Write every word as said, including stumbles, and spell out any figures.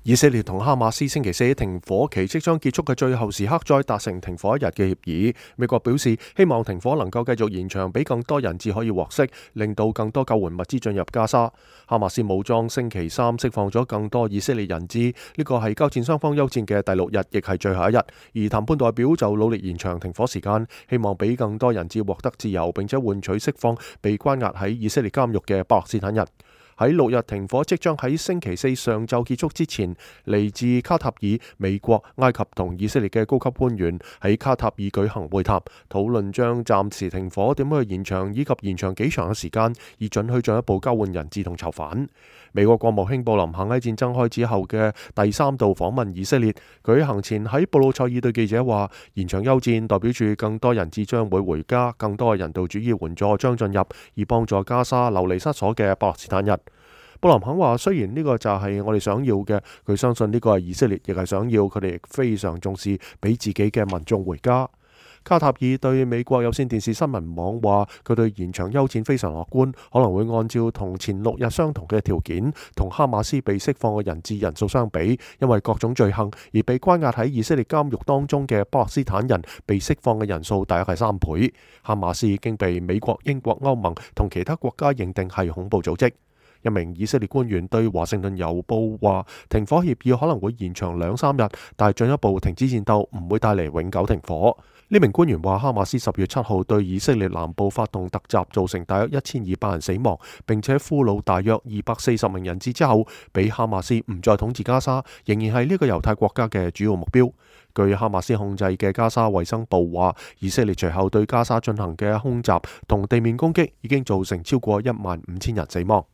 以色列同哈馬斯星期四停火期即將結束嘅最後時刻，再達成停火一日嘅協議。美國表示希望停火能夠繼續延長，俾更多人質可以獲釋，令到更多救援物資進入加沙。哈馬斯武裝星期三釋放咗更多以色列人質，呢個係交戰雙方休戰嘅第六日，亦係最後一日。而談判代表就努力延長停火時間，希望俾更多人質獲得自由，並且換取釋放被關押喺以色列監獄嘅巴勒斯坦人。喺六日停火即將喺星期四上晝結束之前，嚟自卡塔爾、美國、埃及同以色列嘅高級官員喺卡塔爾舉行會談，討論將暫時停火點樣去延長，以及延長幾長嘅時間，以准許進一步交換人質同囚犯。美國國務卿布林肯喺戰爭開始後嘅第三度訪問以色列，佢行前喺布魯塞爾對記者話：延長休戰代表住更多人質將會回家，更多嘅人道主義援助將進入，以幫助加沙流離失所嘅巴勒斯坦人。布林肯話：雖然呢個就係我哋想要嘅，佢相信呢個係以色列亦係想要，佢哋亦非常重視俾自己嘅民眾回家。卡塔爾對美國有線電視新聞網話，佢對延長休戰非常樂觀，可能會按照同前六日相同嘅條件，同哈馬斯被釋放嘅人質人數相比，因為各種罪行而被關押喺以色列監獄當中嘅巴勒斯坦人被釋放嘅人數大約係三倍。哈馬斯已經被美國、英國、歐盟同其他國家認定係恐怖組織。一名以色列官員對華盛頓郵報話，停火協議可能會延長兩三日，但係進一步停止戰鬥唔會帶嚟永久停火。呢名官員話，哈馬斯十月七號對以色列南部發動突襲，造成大約一千二百人死亡，並且俘虜大約二百四十名人質之後，俾哈馬斯唔再統治加沙，仍然係呢個猶太國家嘅主要目標。據哈馬斯控制嘅加沙衛生部話，以色列隨後對加沙進行嘅空襲同地面攻擊已經造成超過一萬五千人死亡。